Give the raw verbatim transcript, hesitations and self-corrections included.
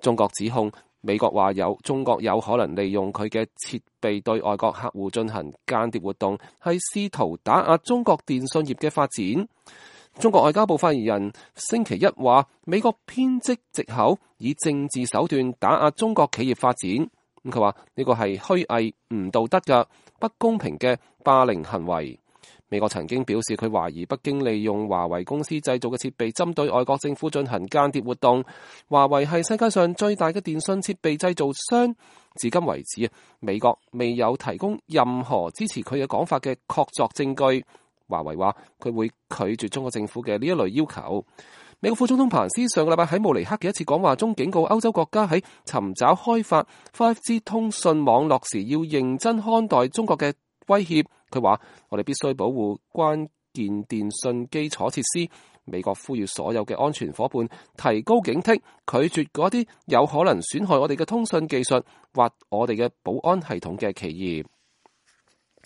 中國指控美國話有中國有可能利用佢嘅設備對外國客戶進行間諜活動，係試圖打壓中國電信業嘅發展。中國外交部發言人星期一話，美國編織藉口以政治手段打壓中國企業發展。咁佢話呢個係虛偽、唔道德嘅、不公平嘅霸凌行為。美國曾經表示，佢懷疑北京利用華為公司製造嘅設備針對外國政府進行間諜活動。華為係世界上最大嘅電信設備製造商，至今為止，美國未有提供任何支持佢嘅講法嘅確鑿證據。華為話佢會拒絕中國政府嘅呢一類要求。美國副總統彭斯上個禮拜喺慕尼黑嘅一次講話中警告歐洲國家喺尋找開發 五 G 通訊網絡時要認真看待中國嘅威脅。佢話我哋必須保護關鍵電信基礎設施。美國呼籲所有嘅安全夥伴提高警惕，拒絕嗰啲有可能損害我哋嘅通訊技術或我哋嘅保安系統嘅企業。